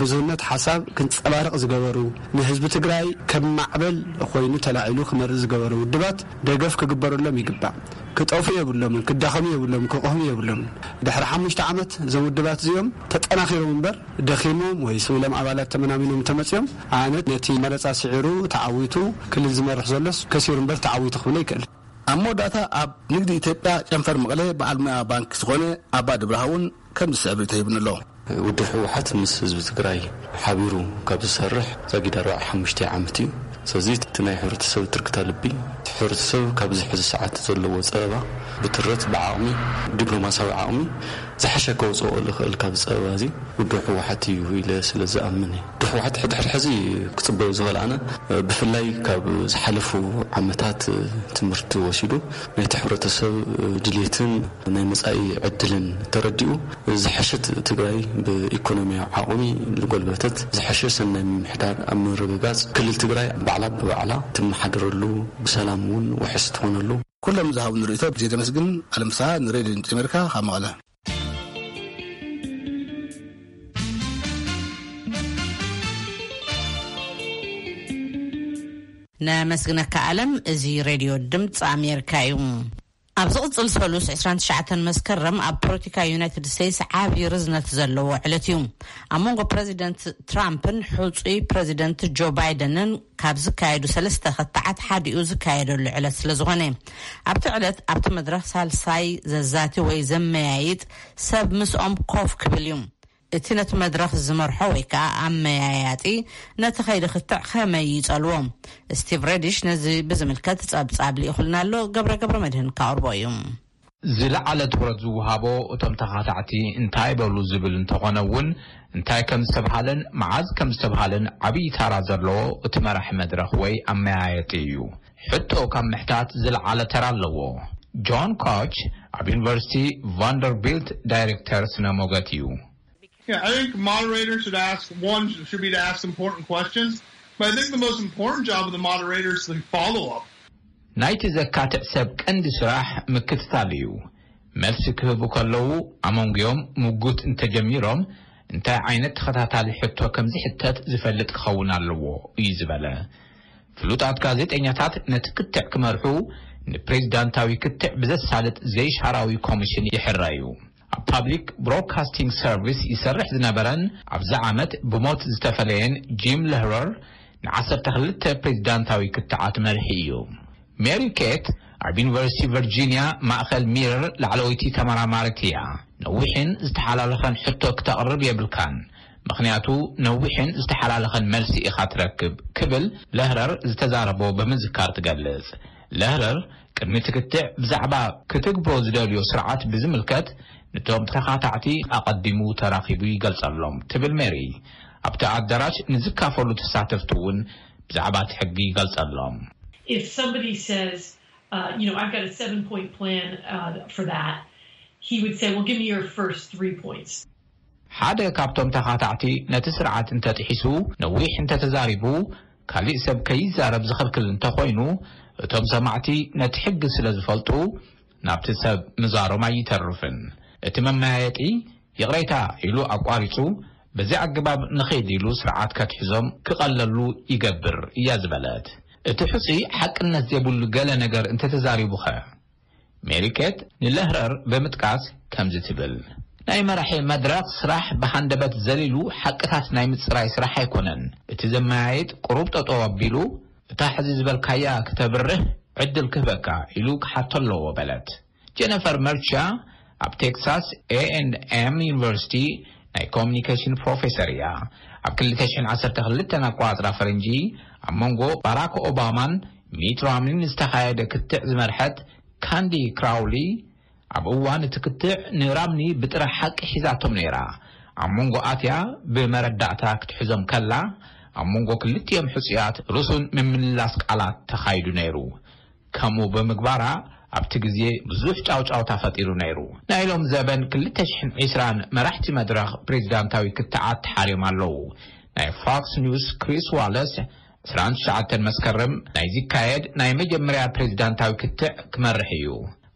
ብዙህነት ሓሳብ ክንፀባርቕ ዝገበሩ ንህዝቢ ትግራይ ከም ማዕበል ኮይኑ ተላዒሉ ክመርእ ዝገበሩ ውድባት ደገፍ ክግበረሎም ይግባእ። ክጠፍኡ የብሎምን፣ ክዳኸሙ የብሎምን፣ ክቕህሙ የብሎምን። ድሕሪ ሓሙሽተ ዓመት እዞም ውድባት እዚኦም ተጠናኺሮም እምበር ደኺሞም ወይ ስኢሎም ኣባላት ተመናሚኖም እንተመፂኦም ኣነ ነቲ መረፃ ስዒሩ ተዓዊቱ ክልል ዝመርሕ ዘሎስ ከሲሩ እምበር ተዓዊቱ ክብል ኣይክእል። ኣብ መወዳእታ ኣብ ንግዲ ኢትዮጵያ ጨንፈር መቐለ በዓል ሙያ ባንክ ዝኾነ ኣባ ድብርሃ እውን ከምዚ ዝስዕብ ርእይቶ ሂቡኒ ኣሎ። ውድብ ህወሓት ምስ ህዝቢ ትግራይ ሓቢሩ ካብ ዝሰርሕ ዛጊድ ኣርባዓ ሓሙሽተ ዓመት እዩ። ስለዚ እቲ ናይ ሕብረተሰብ ትርክታ ልቢ፣ እቲ ሕብረተሰብ ካብዚ ሕዚ ሰዓት ዘለዎ ፀበባ ብትረት ብዓቕሚ ዲፕሎማሲያዊ ዓቕሚ ዝሓሸ ከውፅኦ ዝኽእል ካብ ፀበባ እዚ ውድብ ህወሓት እዩ ኢለ ስለ ዝኣምን እዩ። ውድብ ህወሓት ሕድሕድ ሕዚ ክፅበዮ ዝኽእል ኣነ ብፍላይ ካብ ዝሓለፉ ዓመታት ትምህርቲ ወሲዱ ናይቲ ሕብረተሰብ ድሌትን ናይ መጻኢ ዕድልን ተረዲኡ ዝሐሸት ትግራይ ብኢኮኖሚያዊ ዓቕሚ ዝጎልበተት ዝሐሸ ሰናይ ምምሕዳር ኣብ ምርግጋፅ ክልል ትግራይ ባዕላ ብባዕላ ትመሓደረሉ ብሰላም እውን ውሕስ ትኾነሉ ኩሎም ዝሃቡኒ ርእይቶ ብዜ ደመስግን ኣለምሳ ንሬድዮ ድምፂ ኣሜሪካ ካብ መቐለ። ነመስግነካ ኣለም። እዚ ሬድዮ ድምፂ ኣሜሪካ እዩ። ኣብ ዝቕፅል ሰሉስ ዕስራን ትሽዓተን መስከረም ኣብ ፖለቲካ ዩናይትድ ስቴትስ ዓብዪ ርዝነት ዘለዎ ዕለት እዩ። ኣብ መንጎ ፕረዚደንት ትራምፕን ሕፁይ ፕረዚደንት ጆ ባይደንን ካብ ዝካየዱ ሰለስተ ክትዓት ሓዲኡ ዝካየደሉ ዕለት ስለ ዝኾነ ኣብቲ ዕለት ኣብቲ መድረኽ ሳልሳይ ዘዛቲ ወይ ዘመያይጥ ሰብ ምስኦም ኮፍ ክብል እዩ። እቲ ነቲ መድረኽ ዝመርሖ ወይ ከኣ ኣመያያጢ ነቲ ከይዲ ክትዕ ከመይ ይጸልዎ? ስቲቭ ረዲሽ ነዚ ብዝምልከት ጸብጻብ ልኢኹልና ኣሎ። ገብረ ገብረ መድህን ካቕርቦ እዩ። ዝለዓለ ትኹረት ዝወሃቦ እቶም ተኻታዕቲ እንታይ በሉ ዝብል እንተኾነ እውን፣ እንታይ ከም ዝተብሃለን መዓዝ ከም ዝተብሃለን ዓብዪ ታራ ዘለዎ እቲ መራሒ መድረኽ ወይ ኣመያየጢ እዩ። ሕቶ ካብ ምሕታት ዝለዓለ ተራ ኣለዎ። ጆን ኮች ኣብ ዩኒቨርሲቲ ቫንደርቢልት ዳይሬክተር ስነ ሞገት እዩ። Yeah, I think moderators should ask, one should be to ask important questions, but I think the most important job of the moderator is the follow up. ናይቲ ዘካትዕ ሰብ ቀንዲ ስራሕ ምክትታል እዩ። መልሲ ክህቡ ከለዉ፣ ኣመንጉዮም ምጉት እንተጀሚሮም፣ እንታይ ዓይነት ተኸታታሊ ሕቶ ከም ዝሕተት ዝፈልጥ ክኸውን ኣለዎ እዩ ዝበለ። ፍሉጣት ጋዜጠኛታት ነቲ ክትዕ ክመርሑ፣ ንፕሬዚዳንታዊ ክትዕ ብዘሳልጥ ዘይሻራዊ ኮሚሽን ይሕረዩ። ኣብ ፓብሊክ ብሮድካስቲንግ ሰርቪስ ይሰርሕ ዝነበረን ኣብዚ ዓመት ብሞት ዝተፈለየን ጂም ለህረር፣ ንዓሰርተ ክልተ ፕሬዚዳንታዊ ክትዓት መርሒ እዩ። ሜሪ ኬት ኣብ ዩኒቨርሲቲ ቨርጂኒያ ማእኸል ሚረር ላዕለወይቲ ተመራማሪት እያ። ነዊሕን ዝተሓላለኸን ሕቶ ክተቕርብ የብልካን፣ ምኽንያቱ ነዊሕን ዝተሓላለኸን መልሲ ኢኻ ትረክብ፣ ክብል ለህረር ዝተዛረቦ ብምዝካር ትገልጽ። ለህረር ቅድሚ ትክትዕ ብዛዕባ ክትግብሮ ዝደልዮ ስርዓት ብዝምልከት፣ ነቶም ተኻታዕቲ ኣቐዲሙ ተራኺቡ ይገልጸሎም ትብል ሜሪ። ኣብቲ ኣዳራሽ ንዝካፈሉ ተሳተፍቲ እውን ብዛዕባ እቲ ሕጊ ይገልጸሎም። If somebody says, uh, you know, I've got a seven point plan uh, for that, he would say, well, give me your first three points. ሓደ ካብቶም ተኻታዕቲ ነቲ ስርዓት እንተጥሒሱ፣ ነዊሕ እንተተዛሪቡ፣ ካሊእ ሰብ ከይዛረብ ዝኽልክል እንተኾይኑ፣ እቶም ሰማዕቲ ነቲ ሕጊ ስለ ዝፈልጡ፣ ናብቲ ሰብ ምዛሮም ኣይተርፍን። እቲ መመያየጢ፣ ይቕሬታ፣ ኢሉ ኣቋሪጹ፣ በዚ ኣገባብ ንኸይድ ኢሉ ስርዓት ከትሕዞም ክቐለሉ ይገብር እያ ዝበለት። እቲ ሕጹይ ሓቅነት ዘይብሉ ገለ ነገር እንተተዛሪቡኸ? ሜሪ ኬት ንለህረር ብምጥቃስ ከምዚ ትብል፣ ናይ መራሒ መድረኽ ስራሕ ብሃንደበት ዘሊሉ ሓቅታት ናይ ምጽራይ ስራሕ ኣይኮነን። እቲ ዘመያየጥ ቁሩብ ጠጠው ኣቢሉ፣ እታ ሕዚ ዝበልካያ ክተብርህ ዕድል ክህበካ ኢሉ ክሓቶ ኣለዎ በለት። ጀነፈር መርቻ ኣብ ቴክሳስ ኤ ኤንድ ኤም ዩኒቨርሲቲ ናይ ኮሚኒኬሽን ፕሮፌሰር እያ። ኣብ ክልተ ሽሕን ዓሰርተ ክልተን ኣቆጻጽራ ፈረንጂ ኣብ መንጎ ባራክ ኦባማን ሚት ራምኒን ዝተኻየደ ክትዕ ዝመርሐት ካንዲ ክራውሊ፣ ኣብ እዋን እቲ ክትዕ ንራምኒ ብጥረ ሓቂ ሒዛቶም ነይራ። ኣብ መንጎ ኣትያ ብመረዳእታ ክትሕዞም ከላ፣ ኣብ መንጎ ክልቲኦም ሕጹያት ርሱን ምምልላስ ቃላት ተኻይዱ ነይሩ። ከምኡ ብምግባራ ኣብቲ ግዜ ብዙሕ ጫውጫውታ ፈጢሩ ነይሩ። ናይ ሎም ዘበን ክልተ ሽሕን ዕስራን መራሕቲ መድረኽ ፕሬዚዳንታዊ ክትዓት ተሓርዮም ኣለዉ። ናይ ፎክስ ኒውስ ክሪስ ዋለስ ዕስራን ትሽዓተን መስከረም ናይ ዝካየድ ናይ መጀመርያ ፕሬዚዳንታዊ ክትዕ ክመርሕ እዩ።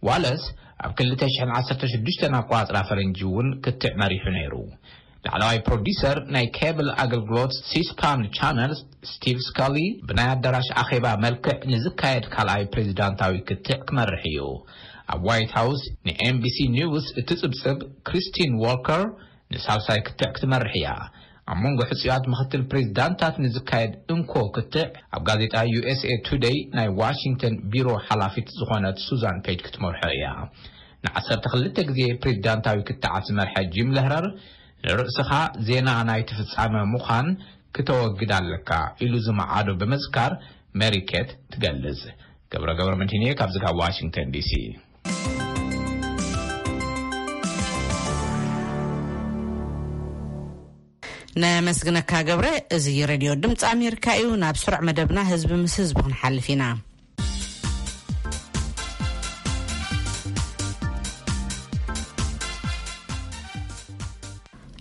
ዋለስ ኣብ ክልተ ሽሕን ዓሰርተ ሽዱሽተን ኣቆጻጽራ ፈረንጂ እውን ክትዕ መሪሑ ነይሩ። ላዕለዋይ ፕሮዲሰር ናይ ኬብል ኣገልግሎት ሲስፓን ቻነል ስቲቭ ስካሊ ብናይ ኣዳራሽ ኣኼባ መልክዕ ንዝካየድ ካልኣይ ፕሬዚዳንታዊ ክትዕ ክመርሕ እዩ። ኣብ ዋይት ሃውስ ንኤንቢሲ ኒውስ እትጽብጽብ ክሪስቲን ዎልከር ንሳልሳይ ክትዕ ክትመርሕ እያ። ኣብ መንጎ ሕጹያት ምኽትል ፕሬዚዳንታት ንዝካየድ እንኮ ክትዕ ኣብ ጋዜጣ ዩኤስኤ ቱደይ ናይ ዋሽንግተን ቢሮ ሓላፊት ዝኾነት ሱዛን ፔጅ ክትመርሖ እያ። ንዓሰርተ ክልተ ግዜ ፕሬዚዳንታዊ ክትዓት ዝመርሐ ጂም ለህረር፣ ንርእስኻ ዜና ናይቲ ፍጻመ ምዃን ክተወግድ ኣለካ ኢሉ ዝመዓዶ ብምዝካር፣ ሜሪ ኬት ትገልጽ። ገብረ ገብረ መድህን እየ ካብዚ ካብ ዋሽንግተን ዲሲ። ነመስግነካ ገብረ። እዚ ሬድዮ ድምፂ ኣሜሪካ እዩ። ናብ ስሩዕ መደብና ህዝቢ ምስ ህዝቢ ክንሓልፍ ኢና።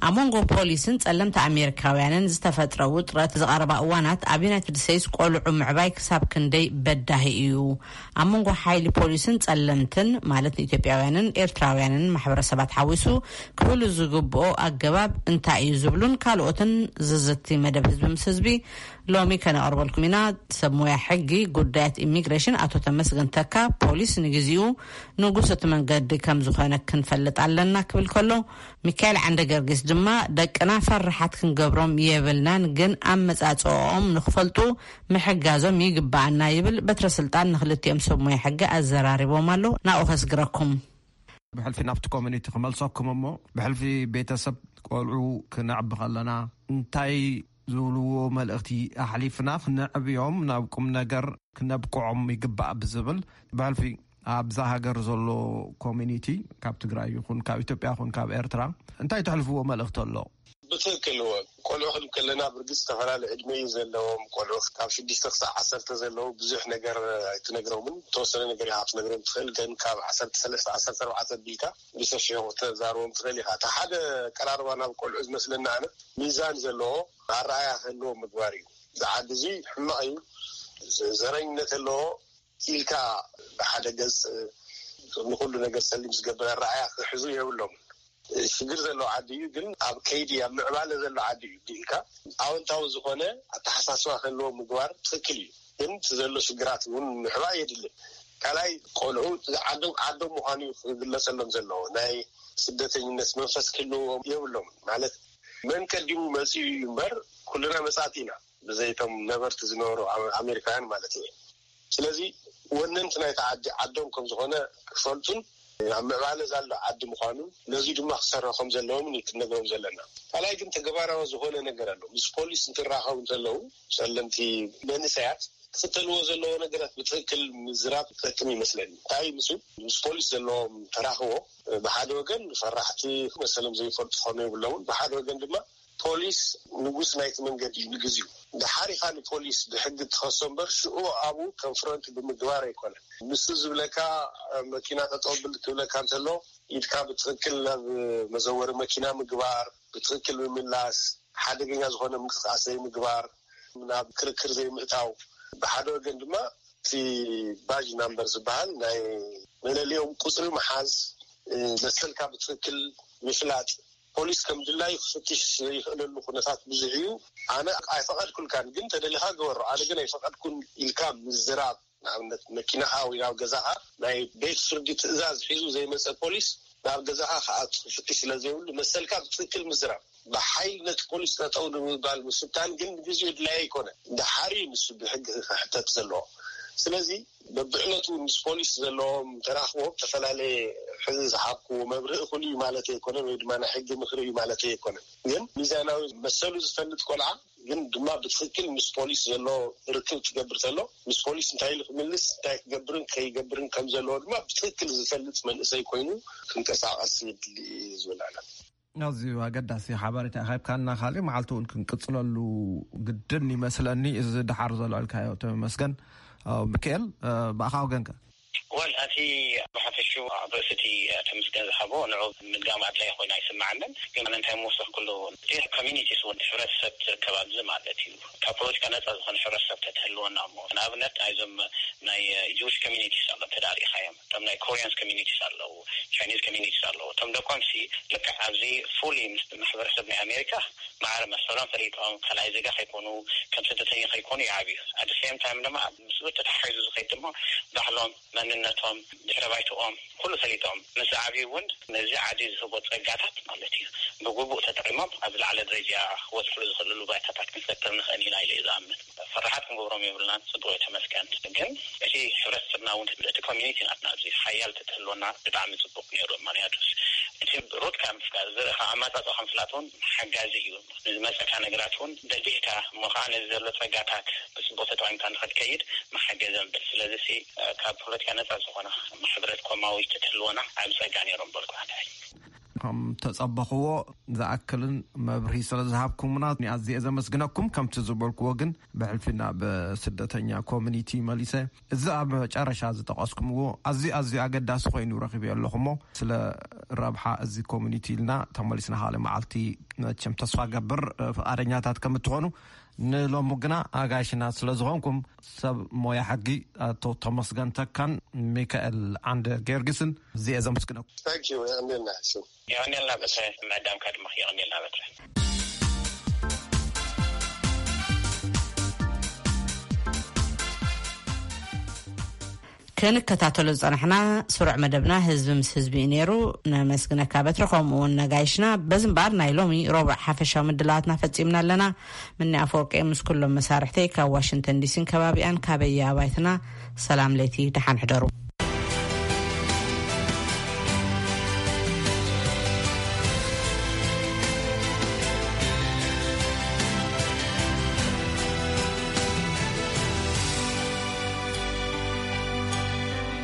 ኣብ መንጎ ፖሊስን ጸለምቲ ኣሜሪካውያንን ዝተፈጥረ ውጥረት ዝቐረባ እዋናት፣ ኣብ ዩናይትድ ስቴትስ ቆልዑ ምዕባይ ክሳብ ክንደይ በዳሂ እዩ? ኣብ መንጎ ሓይሊ ፖሊስን ጸለምትን፣ ማለት ንኢትዮጵያውያንን ኤርትራውያንን ማሕበረሰባት ሓዊሱ፣ ክህሉ ዝግብኦ ኣገባብ እንታይ እዩ ዝብሉን ካልኦትን ዝዝቲ መደብ ህዝቢ ምስ ህዝቢ ሎሚ ከነቕርበልኩም ኢና። ሰብ ሞያ ሕጊ ጉዳያት ኢሚግሬሽን ኣቶ ተመስገን ተካ፣ ፖሊስ ንግዜኡ ንጉስ እቲ መንገዲ ከም ዝኾነ ክንፈልጥ ኣለና ክብል ከሎ፣ ሚካኤል ዓንደ ገርጊስ ድማ፣ ደቅና ፈራሓት ክንገብሮም የብልናን፣ ግን ኣመጻጽኦም ንኽፈልጡ ምሕጋዞም ይግባኣና ይብል። በትረ ስልጣን ንክልቲኦም ሰብ ሞያ ሕጊ ኣዘራሪቦም ኣሎ። ናብኡ ከስግረኩም። ብሕልፊ ናብቲ ኮሚኒቲ ክመልሰኩም እሞ፣ ብሕልፊ ቤተሰብ ቆልዑ ክነዕቢ ከለና እንታይ ዝብልዎ መልእኽቲ ኣሕሊፍና ክነዕብዮም ናብ ቁም ነገር ክነብቅዖም ይግባእ ብዝብል፣ ብሕልፊ ኣብዛ ሃገር ዘሎ ኮሚኒቲ፣ ካብ ትግራይ ይኹን ካብ ኢትዮጵያ ይኹን ካብ ኤርትራ፣ እንታይ ተሕልፍዎ መልእኽቲ ኣሎ? ብትክክል እወ። ቆልዑ ክንብል ከለና ብርግፅ ዝተፈላለዩ ዕድመ እዩ ዘለዎም። ቆልዑ ካብ ሽዱሽተ ክሳብ ዓሰርተ ዘለዉ ብዙሕ ነገር ኣይትነግሮምን። ተወሰነ ነገር ኢኻ ክትነግሮም ትኽእል፣ ግን ካብ ዓሰርተ ሰለስተ ዓሰርተ ኣርባዕተ ቢልካ ብሰፊሑ ክተዛርቦም ትኽእል ኢኻ። እቲ ሓደ ቀራርባ ናብ ቆልዑ ዝመስለና ኣነ ሚዛን ዘለዎ ኣረኣያ ክህልዎም ምግባር እዩ። እዚ ዓዲ እዚ ሕማቕ እዩ፣ ዘረኝነት ኣለዎ ኢልካ ብሓደ ገፅ ንኩሉ ነገር ሰሊም ዝገብር ኣረኣያ ክሕዙ የብሎም። ሽግር ዘለዎ ዓዲ እዩ፣ ግን ኣብ ከይዲ ኣብ ምዕባለ ዘሎ ዓዲ እዩ ኢልካ ኣወንታዊ ዝኾነ ኣተሓሳስባ ክህልዎ ምግባር ትኽክል እዩ። ግን እቲ ዘሎ ሽግራት እውን ምሕባእ የድልን። ካልኣይ ቆልዑ ዓዶም ዓዶም ምዃኑ እዩ ክግለጸሎም ዘለዎ። ናይ ስደተኝነት መንፈስ ክህልዎም የብሎም። ማለት መን ቀዲሙ መጺኡ እዩ እምበር ኩልና መጻእቲ ኢና፣ ብዘይቶም ነበርቲ ዝነበሩ ኣመሪካውያን ማለት እዩ። ስለዚ ወነንቲ ናይቲ ዓዲ ዓዶም ከም ዝኾነ ክፈልጡን ኣብ ምዕባለ ዘሎ ዓዲ ምዃኑ ነዚ ድማ ክሰርሑ ከም ዘለዎም እዩ ክንነግሮም ዘለና። ካልኣይ ግን ተግባራዊ ዝኾነ ነገር ኣሎ። ምስ ፖሊስ እንትራኸቡ እንተለዉ ጸለምቲ መንእሰያት ክኽተልዎ ዘለዎ ነገራት ብትኽክል ምዝራብ ይጠቅም ይመስለኒ። እንታይ ምስ ምስ ፖሊስ ዘለዎም ተራኽቦ ብሓደ ወገን ፈራሕቲ መሰሎም ዘይፈልጡ ክኾኑ የብሎምን፣ ብሓደ ወገን ድማ ፖሊስ ንጉስ ናይቲ መንገዲ እዩ ንግዚኡ። ድሓር ኢኻ ንፖሊስ ብሕጊ ትኸሶ እምበር ሽዑ ኣብኡ ኮንፍሮንት ብምግባር ኣይኮነን። ንሱ ዝብለካ መኪና ጠጠው ብል ክብለካ እንተሎ ኢድካ ብትኽክል ናብ መዘወሪ መኪና ምግባር፣ ብትኽክል ምምላስ፣ ሓደገኛ ዝኾነ ምንቅስቃስ ዘይምግባር፣ ናብ ክርክር ዘይምእታው፣ ብሓደ ወገን ድማ እቲ ባጅ ናምበር ዝበሃል ናይ መለሊኦም ቁፅሪ ምሓዝ፣ መሰልካ ብትኽክል ምፍላጥ፣ ፖሊስ ከም ድላዩ ክፍትሽ ዘይኽእለሉ ኩነታት ብዙሕ እዩ። ኣነ ኣይፈቐድኩልካን ግን ተደሊኻ ግበሮ፣ ኣነ ግን ኣይፈቐድኩን ኢልካ ምዝራብ፣ ንኣብነት መኪናኻ ወይ ናብ ገዛኻ ናይ ቤት ፍርዲ ትእዛዝ ሒዙ ዘይመፀ ፖሊስ ናብ ገዛኻ ክኣቱ ክፍትሽ ስለ ዘይብሉ መሰልካ ብትኽክል ምዝራብ፣ ብሓይሊ ነቲ ፖሊስ ጠጠው ንምባል ምፍታን ግን ንግዜኡ ድላይ ኣይኮነን። ድሓር እዩ ንሱ ብሕጊ ክሕተት ዘለዎ። ስለዚ በብዕለቱ ምስ ፖሊስ ዘለዎም ተራኽቦ ዝተፈላለየ ሕዚ ዝሃብክዎ መብርሂ እኹል እዩ ማለት ኣይኮነን፣ ወይ ድማ ናይ ሕጊ ምኽሪ እዩ ማለት ኣይኮነን። ግን ሚዛናዊ መሰሉ ዝፈልጥ ቆልዓ ግን ድማ ብትኽክል ምስ ፖሊስ ዘሎ ርክብ ክገብር ተሎ ምስ ፖሊስ እንታይ ኢሉ ክምልስ እንታይ ክገብርን ከይገብርን ከም ዘለዎ ድማ ብትኽክል ዝፈልጥ መንእሰይ ኮይኑ ክንቀሳቐስ የድሊ እዩ ዝብል ኣነ። ኣዝዩ ኣገዳሲ ሓበሬታ ሃብካና። ካልእ መዓልቲ እውን ክንቅፅለሉ ግድን ይመስለኒ። እዚ ድሓር ዘልዕልካዮ ተመስገን። ኣው ሚካኤል፣ ብኣኻ ወገንከ? ወል ኣቲ ብሓፈሹ ኣብ ርእሲ እቲ ተመስገን ዝሃቦ ንዑ ምድጋም ኣድላይ ኮይኑ ኣይስምዓንን። ግን እንታይ ምወሰኽኩሉ እቲ ኮሚኒቲስ እውን ሕብረተሰብ ዝርከብ ኣብዚ ማለት እዩ። ካብ ፖለቲካ ነፃ ዝኾነ ሕብረተሰብ ተትህልወና እሞ ንኣብነት ናይዞም ናይ ጂዊሽ ኮሚኒቲስ ኣሎ ተዳሪኻዮም እቶም ናይ ኮሪያንስ ኮሚኒቲስ ኣለዉ፣ ቻይኒዝ ኮሚኒቲስ ኣለዉ። እቶም ደቆምሲ ልክዕ ኣብዚ ፉሊ ምስ ማሕበረሰብ ናይ ኣሜሪካ ማዕረ መሰሎም ፈሊጦም ካልኣይ ዜጋ ከይኮኑ ከም ስደተኛ ከይኮኑ ይዓብዩ። ኣደ ሴም ታይም ድማ ምስኡ ተተሓሒዙ ዝኸይድ ድማ ባህሎም፣ መንነቶም፣ ድሕረ ባይትኦም ኩሉ ፈሊጦም ምስ ዝዓብዩ እውን ነዚ ዓዲ ዝህቦ ፀጋታት ማለት እዩ ብግቡእ ተጠቂሞም ኣብ ዝለዓለ ደረጃ ክበፅሕሉ ዝኽእልሉ ባይታታት ክንፈጥር ንኽእል ኢና ኢለ እዩ ዝኣምን። ፈራሓት ክንገብሮም የብልናን። ፅቡቅ ተመስገን። ግን እቲ ሕብረተሰብና እውን እቲ ኮሚኒቲ ናትና ኣብዚ ሓያል ተትህልወና ብጣዕሚ ፅቡቅ ነይሩ። ምክንያቱስ እቲ ሩት ካብ ምፍላጥ ዝርእ ካብ ኣመፃፅኦ ካብ ምፍላጥ እውን ሓጋዚ እዩ። ንዝመፀካ ነገራት እውን ደጊህካ እሞ ከዓ ነዚ ዘሎ ፀጋታት ብፅቡቅ ተጠቂምካ ንክትከይድ መሓገዘ ምብል። ስለዚ ሲ ካብ ፖለቲካ ነፃ ዝኾነ ሕብረት ኮማዊ ተትህልወና ዓብ ፀጋ ነይሮም በልኩ። ሓዳይ ከም ተጸበኽዎ ዝኣክልን መብርሂ ስለ ዝሃብኩምና ኣዝየ ዘመስግነኩም። ከምቲ ዝበልክዎ ግን ብሕልፊ ናብ ስደተኛ ኮሚኒቲ መሊሰ። እዚ ኣብ መጨረሻ ዝጠቐስኩምዎ ኣዝዩ ኣዝዩ ኣገዳሲ ኮይኑ ረኺበዮ ኣለኹ እሞ ስለ ረብሓ እዚ ኮሚኒቲ ኢልና ተመሊስና ካልእ መዓልቲ መቸም ተስፋ ገብር ፍቓደኛታት ከም እትኾኑ። ንሎሚ ግና ኣጋይሽና ስለ ዝኾንኩም ሰብ ሞያ ሕጊ ኣቶ ተመስገን ተካን ሚካኤል ዓንደ ጊዮርጊስን እዚየ ዘመስግነኩም። Thank you። የቐንየልና። የቐንየልና በትረ። ምዕዳምካ ድማ የቐንየልና በትረ። ክንከታተሎ ዝጸናሕና ስሩዕ መደብና ህዝቢ ምስ ህዝቢ እዩ ነይሩ። ነመስግነካ በትረ፣ ከምኡ እውን ነጋይሽና። በዚ እምበኣር ናይ ሎሚ ረቡዕ ሓፈሻዊ ምድላዋትና ፈጺምና ኣለና። ምኒ ኣፈወርቂ ምስ ኩሎም መሳርሕተይ ካብ ዋሽንግተን ዲሲን ከባቢኣን ካበየ ኣባይትና ሰላም ለይቲ፣ ደሓን ሕደሩ።